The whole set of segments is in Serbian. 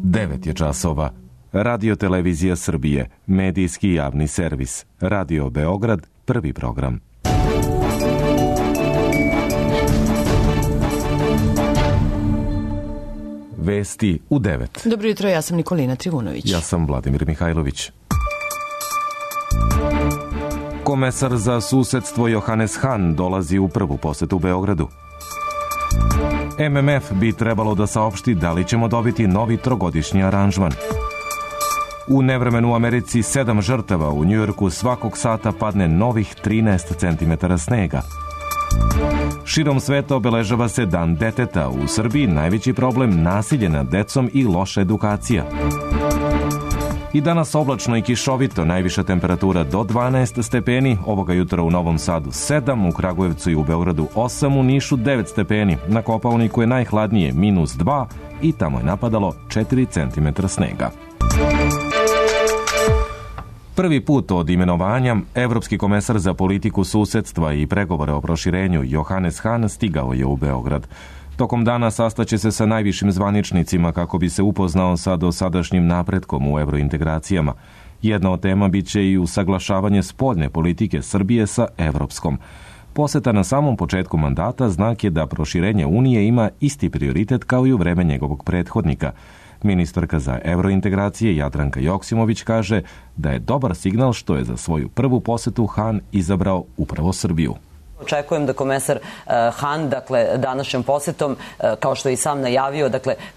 9 je časova. Radio Televizija Srbije, medijski javni servis. Radio Beograd, prvi program. Vesti u 9. Dobro jutro, ja sam Nikolina Trivunović. Ja sam Vladimir Mihajlović. Komesar za susedstvo Johannes Hahn dolazi u prvu posetu Beogradu. MMF bi trebalo da saopšti da li ćemo dobiti novi trogodišnji aranžman. U nevremenu u Americi 7 žrtava, u Njujorku svakog sata padne novih 13 cm snega. Širom sveta obeležava se Dan deteta. U Srbiji najveći problem nasilje nad decom i loša edukacija. I danas oblačno i kišovito, najviša temperatura do 12 stepeni, ovoga jutra u Novom Sadu 7, u Kragujevcu i u Beogradu 8, u Nišu 9 stepeni, na Kopaoniku je najhladnije -2 i tamo je napadalo 4 cm snega. Prvi put od imenovanja, evropski komesar za politiku susedstva i pregovore o proširenju Johannes Hahn stigao je u Beograd. Tokom dana sastaće se sa najvišim zvaničnicima kako bi se upoznao sa dosadašnjim napretkom u evrointegracijama. Jedna od tema biće i usaglašavanje spoljne politike Srbije sa evropskom. Poseta na samom početku mandata znak je da proširenje Unije ima isti prioritet kao i u vreme njegovog prethodnika. Ministarka za evrointegracije Jadranka Joksimović kaže da je dobar signal što je za svoju prvu posetu Hahn izabrao upravo Srbiju. Očekujem da komesar Hahn, današnjom posetom, kao što je i sam najavio,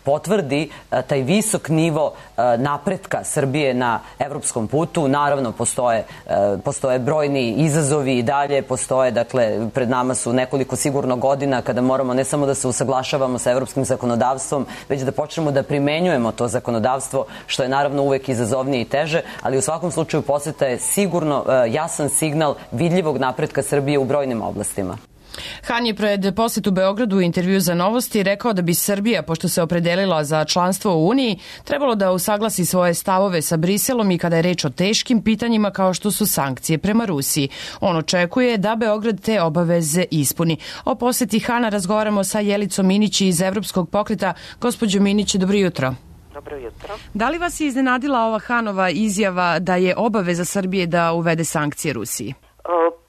potvrdi taj visok nivo napretka Srbije na evropskom putu. Naravno, postoje brojni izazovi i dalje, pred nama su nekoliko sigurno godina kada moramo ne samo da se usaglašavamo sa evropskim zakonodavstvom, već da počnemo da primenjujemo to zakonodavstvo, što je naravno uvek izazovnije i teže, ali u svakom slučaju poseta je sigurno jasan signal vidljivog napretka Srbije u brojnim oblastima. Hahn je pred posetu Beogradu u intervju za Novosti rekao da bi Srbija, pošto se opredelila za članstvo u Uniji, trebalo da usaglasi svoje stavove sa Briselom i kada je reč o teškim pitanjima kao što su sankcije prema Rusiji. On očekuje da Beograd te obaveze ispuni. O poseti Hahna razgovaramo sa Jelicom Minić iz Evropskog pokreta. Gospođo Minić, dobro jutro. Dobro jutro. Da li vas je iznenadila ova Hahnova izjava da je obaveza Srbije da uvede sankcije Rusiji?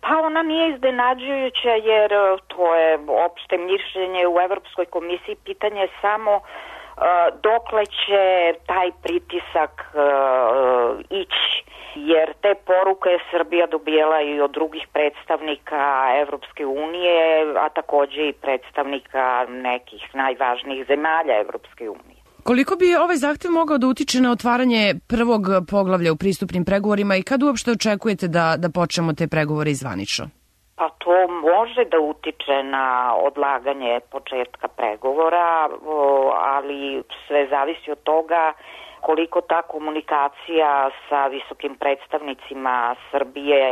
Pa ona nije iznenađujuća jer to je opšte mišljenje u Evropskoj komisiji. Pitanje je samo dokle će taj pritisak ići. Jer te poruke je Srbija dobijala i od drugih predstavnika Evropske unije, a takođe i predstavnika nekih najvažnijih zemalja Evropske unije. Koliko bi ovaj zahtev mogao da utiče na otvaranje prvog poglavlja u pristupnim pregovorima i kad uopšte očekujete da počnemo te pregovore izvanično? Pa to može da utiče na odlaganje početka pregovora, ali sve zavisi od toga koliko ta komunikacija sa visokim predstavnicima Srbije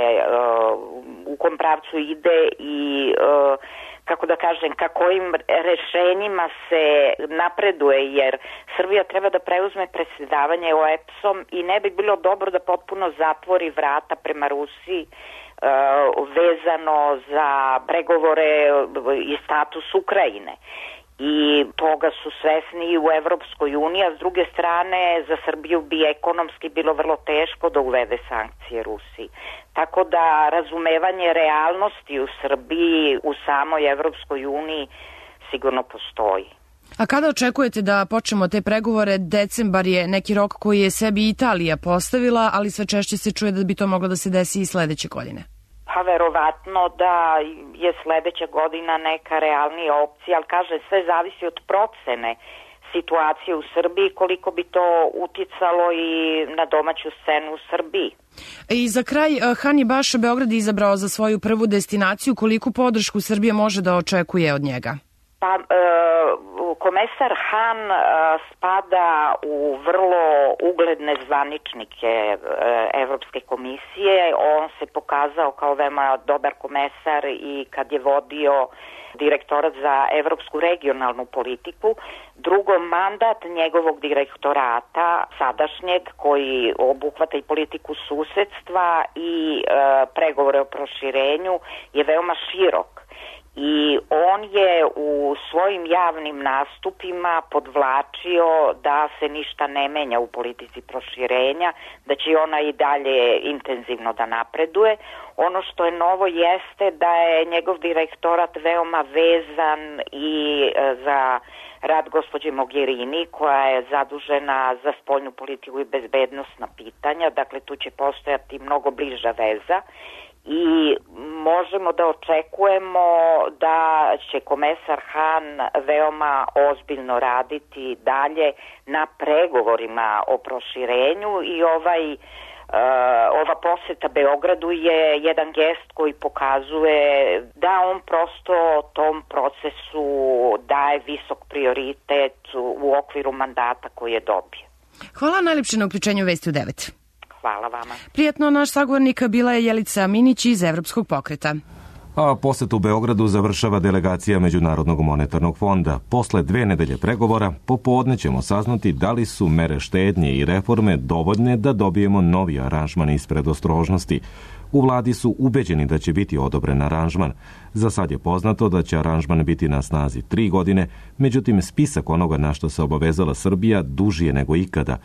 u kom pravcu ide i kojim rešenjima se napreduje, jer Srbija treba da preuzme predsjedavanje OEBS-om i ne bi bilo dobro da potpuno zatvori vrata prema Rusiji vezano za pregovore i status Ukrajine. I toga su svesni i u Evropskoj uniji, a s druge strane za Srbiju bi ekonomski bilo vrlo teško da uvede sankcije Rusiji. Tako da razumevanje realnosti u Srbiji, u samoj Evropskoj uniji sigurno postoji. A kada očekujete da počnemo te pregovore? Decembar je neki rok koji je sebi Italija postavila, ali sve češće se čuje da bi to moglo da se desi i sledeće godine. Pa verovatno da je sledeća godina neka realnija opcija, ali sve zavisi od procene situacije u Srbiji, koliko bi to uticalo i na domaću scenu u Srbiji. I za kraj, Hahn je baš Beograd izabrao za svoju prvu destinaciju. Koliku podršku Srbija može da očekuje od njega? Pa, komesar Hahn spada u vrlo ugledne zvaničnike Evropske komisije. On se pokazao kao veoma dobar komesar i kad je vodio direktorat za evropsku regionalnu politiku. Drugo, mandat njegovog direktorata, sadašnjeg, koji obuhvata i politiku susedstva i pregovore o proširenju, je veoma širok. I on je u svojim javnim nastupima podvlačio da se ništa ne menja u politici proširenja, da će ona i dalje intenzivno da napreduje. Ono što je novo jeste da je njegov direktorat veoma vezan i za rad gospođe Mogherini, koja je zadužena za spoljnu politiku i bezbednosna pitanja. Dakle, tu će postojati mnogo bliža veza. I možemo da očekujemo da će komesar Han veoma ozbiljno raditi dalje na pregovorima o proširenju i ova poseta Beogradu je jedan gest koji pokazuje da on prosto tom procesu daje visok prioritet u okviru mandata koji je dobio. Hvala najlepše na uključenju Vesti u 9. Hvala vama. Prijatno, naš sagovornik bila je Jelica Minić iz Evropskog pokreta. A posetu Beogradu završava delegacija Međunarodnog monetarnog fonda. Posle 2 nedelje pregovora, popodne ćemo saznati da li su mere štednje i reforme dovoljne da dobijemo novi aranžman iz predostrožnosti. U vladi su ubeđeni da će biti odobren aranžman. Za sad je poznato da će aranžman biti na snazi 3 godine, međutim spisak onoga na što se obavezala Srbija duži je nego ikada.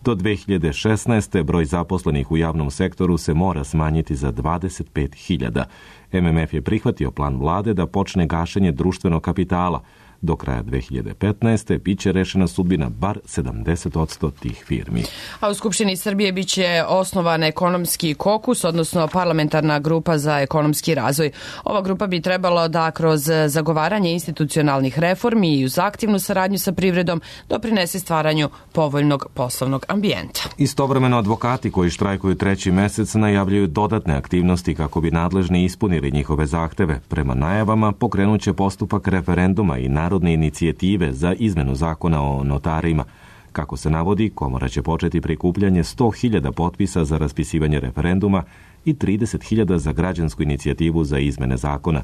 Do 2016. broj zaposlenih u javnom sektoru se mora smanjiti za 25.000. MMF je prihvatio plan vlade da počne gašenje društvenog kapitala. Do kraja 2015. biće rešena sudbina bar 70% tih firmi. A u Skupštini Srbije biće osnovan ekonomski kokus, odnosno parlamentarna grupa za ekonomski razvoj. Ova grupa bi trebalo da kroz zagovaranje institucionalnih reformi i uz aktivnu saradnju sa privredom doprinese stvaranju povoljnog poslovnog ambijenta. Istovremeno advokati koji štrajkuju 3. mesec najavljuju dodatne aktivnosti kako bi nadležni ispunili njihove zahteve. Prema najavama pokrenuće postupak referenduma i narodne inicijative za izmenu zakona o notarima. Kako se navodi, komora će početi prikupljanje 100.000 potpisa za raspisivanje referenduma i 30.000 za građansku inicijativu za izmene zakona.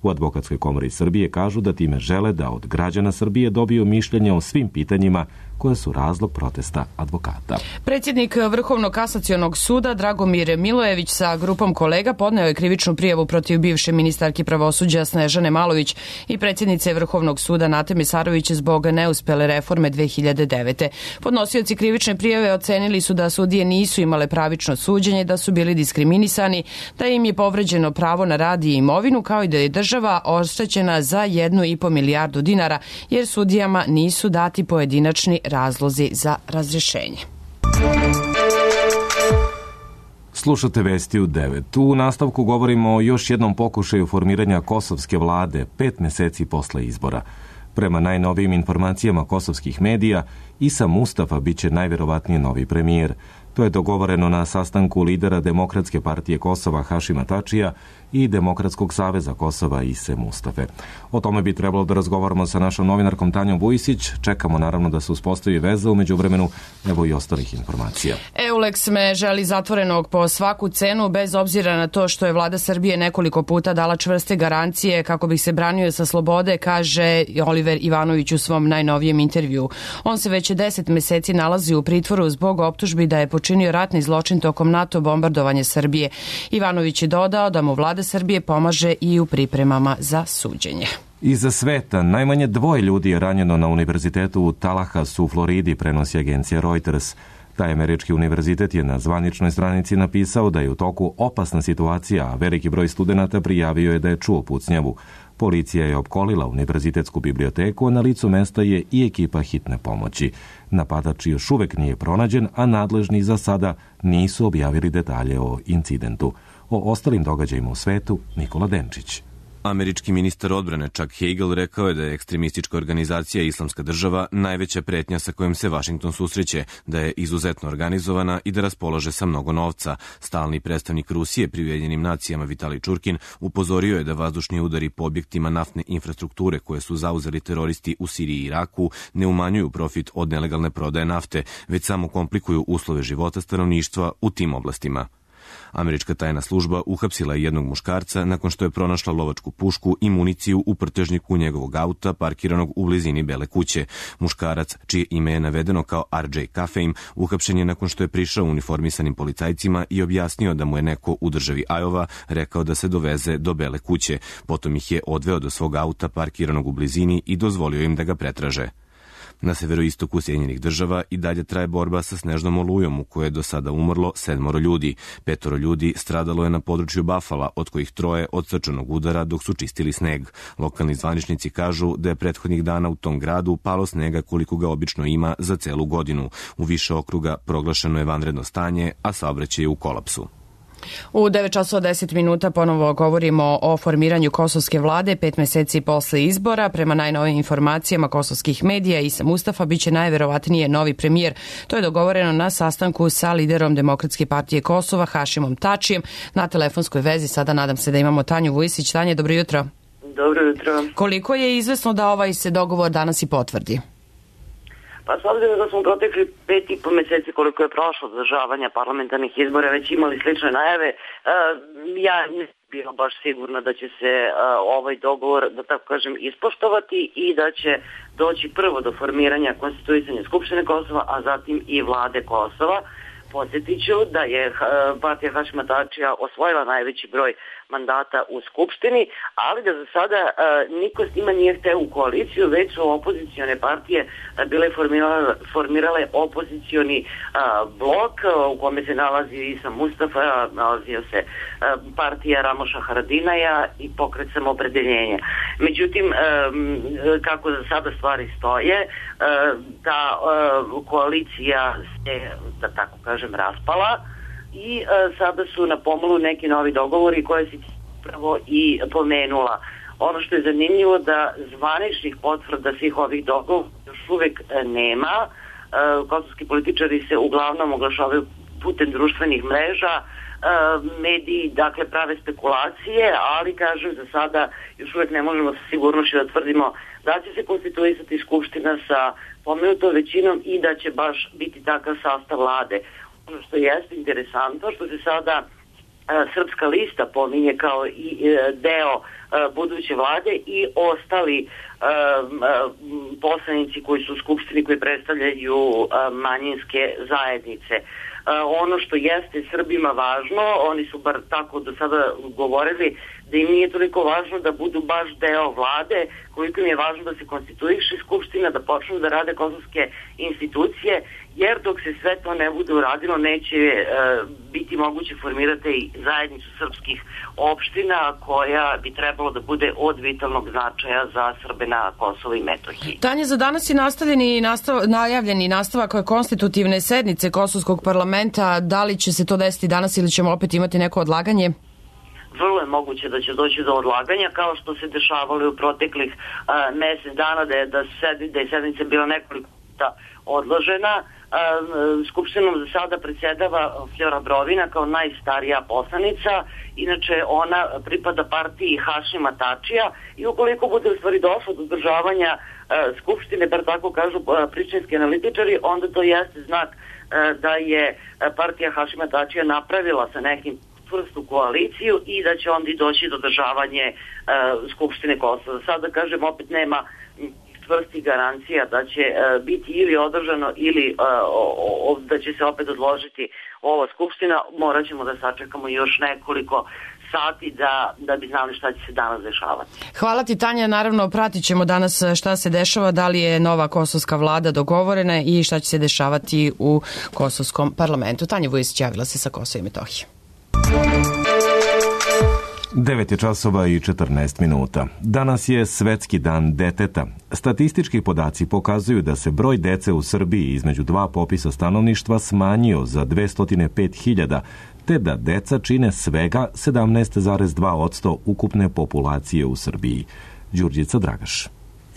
U Advokatskoj komori Srbije kažu da time žele da od građana Srbije dobiju mišljenje o svim pitanjima koje su razlog protesta advokata. Predsjednik Vrhovnog kasacionog suda Dragomir Milojević sa grupom kolega podneo je krivičnu prijavu protiv bivše ministarke pravosuđa Snežane Malović i predsjednice Vrhovnog suda Nate Mesarović zbog neuspele reforme 2009. Podnosioci krivične prijave ocenili su da sudije nisu imale pravično suđenje, da su bili diskriminisani, da im je povređeno pravo na rad i imovinu, kao i da je država oštećena za 1,5 milijardu dinara, jer sudijama nisu dati pojedinačni razlozi za razrješenje. Slušate Vesti u 9. U nastavku govorimo o još jednom pokušaju formiranja kosovske vlade 5 meseci posle izbora. Prema najnovijim informacijama kosovskih medija, Isa Mustafa biće najverovatnije novi premijer. To je dogovoreno na sastanku lidera Demokratske partije Kosova Hašima Tačija i Demokratskog saveza Kosova Ise Mustafe. O tome bi trebalo da razgovaramo sa našom novinarkom Tanjom Vujisić. Čekamo naravno da se uspostavi veza, u međuvremenu evo i ostalih informacija. EULEX me želi zatvorenog po svaku cenu, bez obzira na to što je vlada Srbije nekoliko puta dala čvrste garancije kako bi se branio sa slobode, kaže Oliver Ivanović u svom najnovijem intervju. On se već 10 meseci nalazi u pritvoru zbog optužbi da je počinio ratni zločin tokom NATO bombardovanja Srbije. Ivanović je dodao da mu vlada Srbije pomaže i u pripremama za suđenje. Iza sveta najmanje 2 ljudi je ranjeno na univerzitetu u Tallahassee u Floridi, prenosi agencija Reuters. Taj američki univerzitet je na zvaničnoj stranici napisao da je u toku opasna situacija, a veliki broj studenata prijavio je da je čuo pucnjavu. Policija je opkolila univerzitetsku biblioteku, a na licu mesta je i ekipa hitne pomoći. Napadač još uvek nije pronađen, a nadležni za sada nisu objavili detalje o incidentu. O ostalim događajima u svetu Nikola Denčić. Američki ministar odbrane Chuck Hagel rekao je da je ekstremistička organizacija Islamska država najveća pretnja sa kojom se Vašington susreće, da je izuzetno organizovana i da raspolaže sa mnogo novca. Stalni predstavnik Rusije pri Ujedinjenim nacijama Vitalij Čurkin upozorio je da vazdušni udari po objektima naftne infrastrukture koje su zauzeli teroristi u Siriji i Iraku ne umanjuju profit od nelegalne prodaje nafte, već samo komplikuju uslove života stanovništva u tim oblastima. Američka tajna služba uhapsila je jednog muškarca nakon što je pronašla lovačku pušku i municiju u prtežniku njegovog auta parkiranog u blizini Bele kuće. Muškarac, čije ime je navedeno kao R.J. Kafeim, uhapšen je nakon što je prišao uniformisanim policajcima i objasnio da mu je neko u državi Iowa rekao da se doveze do Bele kuće. Potom ih je odveo do svog auta parkiranog u blizini i dozvolio im da ga pretraže. Na severoistoku Sjedinjenih Država i dalje traje borba sa snežnom olujom u kojoj je do sada umrlo 7 ljudi. 5 ljudi stradalo je na području Buffala, od kojih 3 od srčanog udara dok su čistili sneg. Lokalni zvaničnici kažu da je prethodnih dana u tom gradu palo snega koliko ga obično ima za celu godinu. U više okruga proglašeno je vanredno stanje, a saobraćaj je u kolapsu. U 9:10 ponovo govorimo o formiranju kosovske vlade 5 meseci posle izbora. Prema najnovijim informacijama kosovskih medija, Isa Mustafa biće najverovatnije novi premijer. To je dogovoreno na sastanku sa liderom Demokratske partije Kosova, Hašimom Tačijem. Na telefonskoj vezi sada nadam se da imamo Tanju Vujisić. Tanja, dobro jutro. Dobro jutro. Koliko je izvesno da ovaj se dogovor danas i potvrdi? Pa s obzirom da smo protekli 5,5 meseci koliko je prošlo održavanja parlamentarnih izbora već imali slične najave, ja ne bila baš sigurna da će se ovaj dogovor, da tako kažem, ispoštovati i da će doći prvo do formiranja konstituisanja Skupštine Kosova, a zatim i vlade Kosova. Podsjetit ću da je partija Hašima Tačija osvojila najveći broj mandata u Skupštini, ali da za sada niko s njima nije hteo u koaliciju, već su opozicione partije bile formirale opozicioni blok u kome se nalazi Isa Mustafa, nalazio se partija Ramoša Haradinaja i Pokret Samoopredeljenja. Međutim, kako za sada stvari stoje, ta koalicija se, da tako kažem, raspala i sada su na pomolu neki novi dogovori koje si pravo i pomenula. Ono što je zanimljivo da zvaničnih potvrda svih ovih dogovora još uvek nema. Kosovski političari se uglavnom oglašavaju putem društvenih mreža, mediji dakle prave spekulacije, ali kažem za sada još uvek ne možemo sa sigurnošću da tvrdimo da će se konstituisati Skupština sa pomenutom većinom i da će baš biti takav sastav vlade. Ono što jeste interesantno, što se sada Srpska lista pominje kao i deo buduće vlade i ostali poslanici koji su u Skupštini koji predstavljaju manjinske zajednice. Ono što jeste Srbima važno, oni su bar tako do sada govorili, da im nije toliko važno da budu baš deo vlade, koliko im je važno da se konstituiše Skupština, da počnu da rade kosovske institucije, jer dok se sve to ne bude uradilo, neće biti moguće formirati zajednicu srpskih opština koja bi trebalo da bude od vitalnog značaja za Srbe na Kosovo i Metohiji. Tanja, za danas je najavljeni nastavak konstitutivne sednice Kosovskog parlamenta. Da li će se to desiti danas ili ćemo opet imati neko odlaganje? Vrlo je moguće da će doći do odlaganja, kao što se dešavalo u proteklih mesec dana, da je sednica bila nekoliko puta odložena. Skupštinom za sada predsjedava Flora Brovina kao najstarija poslanica, inače ona pripada partiji Hašima Tačija i ukoliko bude u stvari došlo do održavanja Skupštine, bar tako kažu prištinski analitičari, onda to jeste znak da je partija Hašima Tačija napravila sa nekim čvrstu koaliciju i da će onda i doći do održavanje Skupštine Kosova. Sada kažem, opet nema čvrstih garancija da će biti ili održano ili da će se opet odložiti ova Skupština. Morat ćemo da sačekamo još nekoliko sati da bi znali šta će se danas dešavati. Hvala ti, Tanja. Naravno, pratit ćemo danas šta se dešava, da li je nova kosovska vlada dogovorena i šta će se dešavati u kosovskom parlamentu. Tanja Vujisić javila se sa Kosova i Metohije. 9:14. Danas je Svetski dan deteta. Statistički podaci pokazuju da se broj dece u Srbiji između dva popisa stanovništva smanjio za 205.000, te da deca čine svega 17,2% ukupne populacije u Srbiji. Đurđica Dragaš.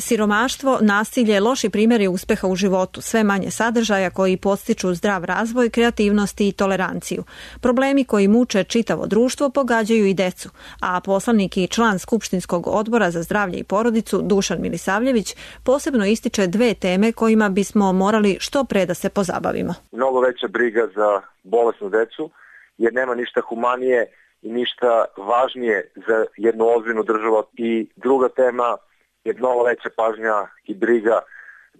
Siromaštvo, nasilje, loši primjeri uspeha u životu, sve manje sadržaja koji podstiču zdrav razvoj, kreativnosti i toleranciju. Problemi koji muče čitavo društvo pogađaju i decu, a poslanik i član Skupštinskog odbora za zdravlje i porodicu Dušan Milisavljević posebno ističe dve teme kojima bismo morali što pre da se pozabavimo. Mnogo veća briga za bolesnu decu jer nema ništa humanije i ništa važnije za jednu ozbiljnu državu. I druga tema je mnogo veća pažnja i briga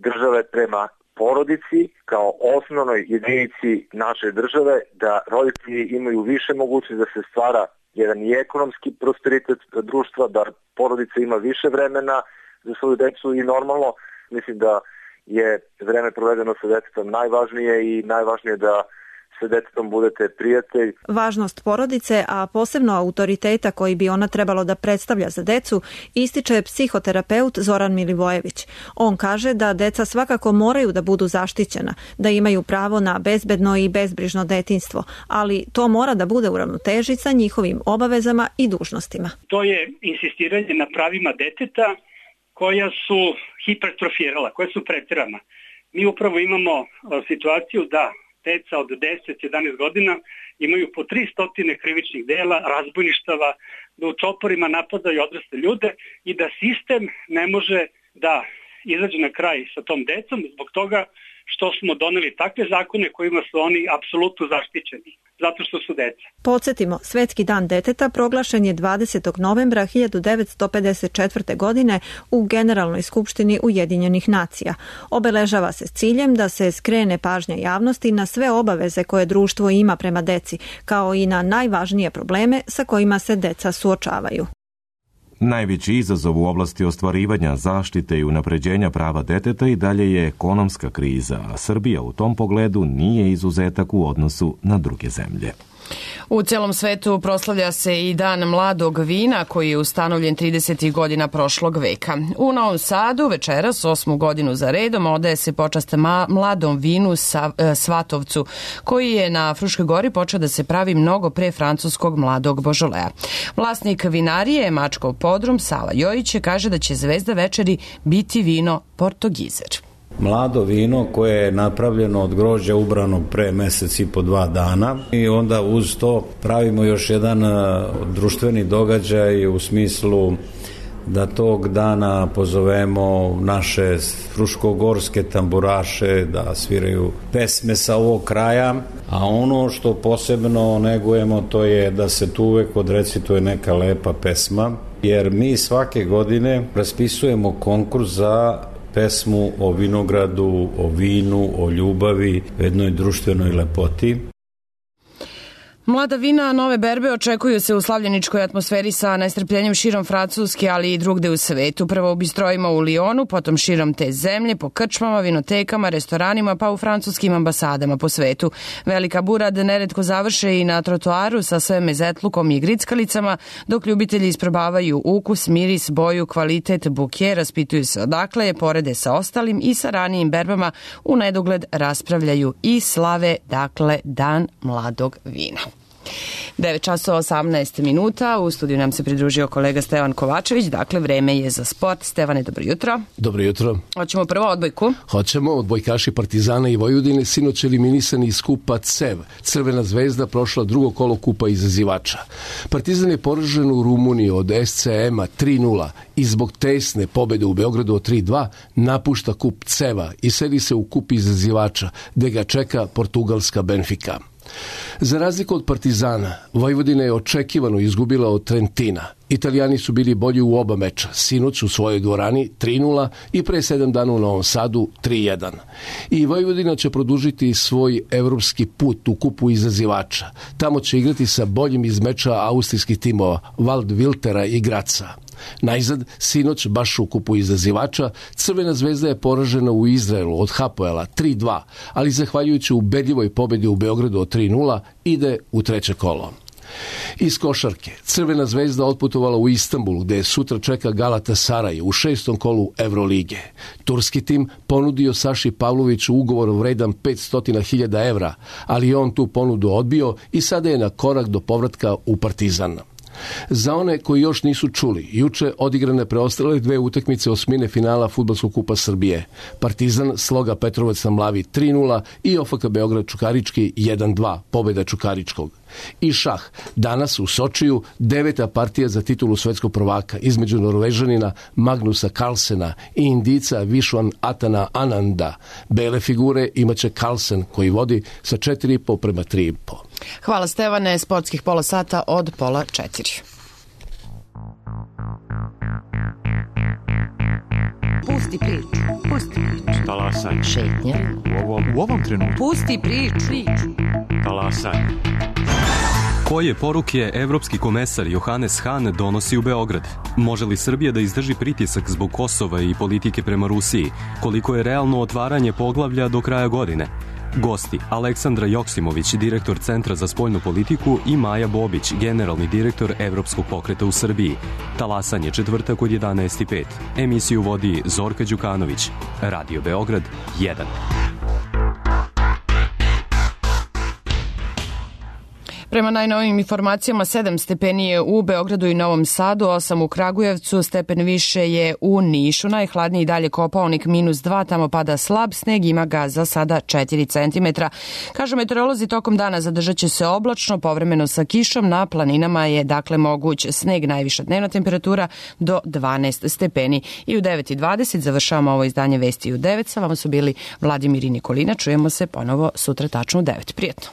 države prema porodici kao osnovnoj jedinici naše države, da roditelji imaju više mogućnosti da se stvara jedan i ekonomski prosperitet društva, da porodica ima više vremena za svoju decu i normalno mislim da je vreme provedeno sa detetom najvažnije i najvažnije da sa detetom budete prijatelj. Važnost porodice, a posebno autoriteta koji bi ona trebalo da predstavlja za decu, ističe psihoterapeut Zoran Milivojević. On kaže da deca svakako moraju da budu zaštićena, da imaju pravo na bezbedno i bezbrižno detinjstvo, ali to mora da bude u ravnoteži sa njihovim obavezama i dužnostima. To je insistiranje na pravima deteta koja su hipertrofirala, koja su preterana. Mi upravo imamo situaciju da deca od 10-11 godina imaju po 300 krivičnih dela, razbojništava, da u čoporima napadaju odrasle ljude i da sistem ne može da izađe na kraj sa tom decom zbog toga što smo doneli takve zakone kojima su oni apsolutno zaštićeni, zato što su deca. Podsjetimo, Svetski dan deteta proglašen je 20. novembra 1954. godine u Generalnoj skupštini Ujedinjenih nacija. Obeležava se s ciljem da se skrene pažnja javnosti na sve obaveze koje društvo ima prema deci, kao i na najvažnije probleme sa kojima se deca suočavaju. Najveći izazov u oblasti ostvarivanja zaštite i unapređenja prava deteta i dalje je ekonomska kriza, a Srbija u tom pogledu nije izuzetak u odnosu na druge zemlje. U celom svetu proslavlja se i Dan mladog vina koji je ustanovljen 30. godina prošlog veka. U Novom Sadu večeras 8. godinu za redom odaje se počast mladom vinu Svatovcu koji je na Fruškoj gori počeo da se pravi mnogo pre francuskog mladog Božolea. Vlasnik vinarije Mačkov podrum Sava Jojić kaže da će zvezda večeri biti vino Portogizer. Mlado vino koje je napravljeno od grožđa ubranog pre mesec i po 2 dana i onda uz to pravimo još jedan društveni događaj u smislu da tog dana pozovemo naše fruškogorske tamburaše da sviraju pesme sa ovog kraja, a ono što posebno negujemo to je da se tu uvek odrecituje neka lepa pesma, jer mi svake godine raspisujemo konkurs za pesmu o vinogradu, o vinu, o ljubavi, o jednoj društvenoj lepoti. Mlada vina nove berbe očekuju se u slavljeničkoj atmosferi sa najstrpljenjem širom Francuske, ali i drugde u svetu. Prvo u bistrojima u Lijonu, potom širom te zemlje, po krčmama, vinotekama, restoranima, pa u francuskim ambasadama po svetu. Velika burad neretko završe i na trotoaru sa sve mezetlukom i grickalicama, dok ljubitelji isprobavaju ukus, miris, boju, kvalitet, buke, raspituju se odakle je, porede sa ostalim i sa ranijim berbama u nedogled raspravljaju i slave, dakle, Dan mladog vina. 9 časova 18 minuta, u studiju nam se pridružio kolega Stevan Kovačević, dakle vreme je za sport. Stevane, dobro jutro. Dobro jutro. Hoćemo prvo odbojku? Hoćemo, odbojkaši Partizana i Vojvodine sinoć eliminisani iz kupa CEV. Crvena zvezda prošla drugo kolo kupa izazivača. Partizan je poražen u Rumuniji od SCM-a 3-0 i zbog tesne pobede u Beogradu od 3-2 napušta kup CEV-a i seli se u kup izazivača, gde ga čeka portugalska Benfica. Za razliku od Partizana, Vojvodina je očekivano izgubila od Trentina. Italijani su bili bolji u oba meča, sinoć u svojoj dvorani 3-0 i pre 7 dana u Novom Sadu 3-1. I Vojvodina će produžiti svoj evropski put u kupu izazivača. Tamo će igrati sa boljim iz meča austrijskih timova Wald Wiltera i Graca. Najzad, sinoć, baš u kupu izazivača, Crvena zvezda je poražena u Izraelu od Hapoela 3-2, ali zahvaljujući ubedljivoj pobedi u Beogradu od 3-0 ide u treće kolo. Iz košarke, Crvena zvezda otputovala u Istanbul, gde sutra čeka Galatasaray u 6. kolu Evrolige. Turski tim ponudio Saši Pavloviću ugovor vredan 500.000 evra, ali on tu ponudu odbio i sada je na korak do povratka u Partizan. Za one koji još nisu čuli, juče odigrane preostale 2 utakmice osmine finala Fudbalskog kupa Srbije. Partizan Sloga Petrovac na Mlavi 3-0 i OFK Beograd Čukarički 1-2, pobjeda Čukaričkog. I šah. Danas u Sočiju 9. partija za titulu svetskog prvaka između Norvežanina Magnusa Carlsena i Indica Vishwan Atana Ananda. Bele figure imaće Carlsen koji vodi sa 4,5 prema 3,5. Hvala Stevane, sportskih pola sata od 3:30. Pusti priču, pusti priču. Talasaj. Šetnja. U ovom trenutku. Pusti priču. Talasaj. Koje poruke evropski komesar Johannes Hahn donosi u Beograd? Može li Srbija da izdrži pritisak zbog Kosova i politike prema Rusiji? Koliko je realno otvaranje poglavlja do kraja godine? Gosti Aleksandra Joksimović, direktor Centra za spoljnu politiku, i Maja Bobić, generalni direktor Evropskog pokreta u Srbiji. Talasanje četvrtak od 11:05. Emisiju vodi Zorka Đukanović. Radio Beograd 1. Prema najnovijim informacijama 7 stepeni je u Beogradu i Novom Sadu, 8 u Kragujevcu, stepen više je u Nišu, najhladniji dalje Kopaonik -2, tamo pada slab sneg, ima ga za sada 4 cm. Kažu meteorolozi, tokom dana zadržat će se oblačno, povremeno sa kišom, na planinama je dakle moguć sneg, najviša dnevna temperatura do 12 stepeni. I u 9:20 završavamo ovo izdanje Vesti u 9, sa vama su bili Vladimir i Nikolina, čujemo se ponovo sutra tačno u 9. Prijetno.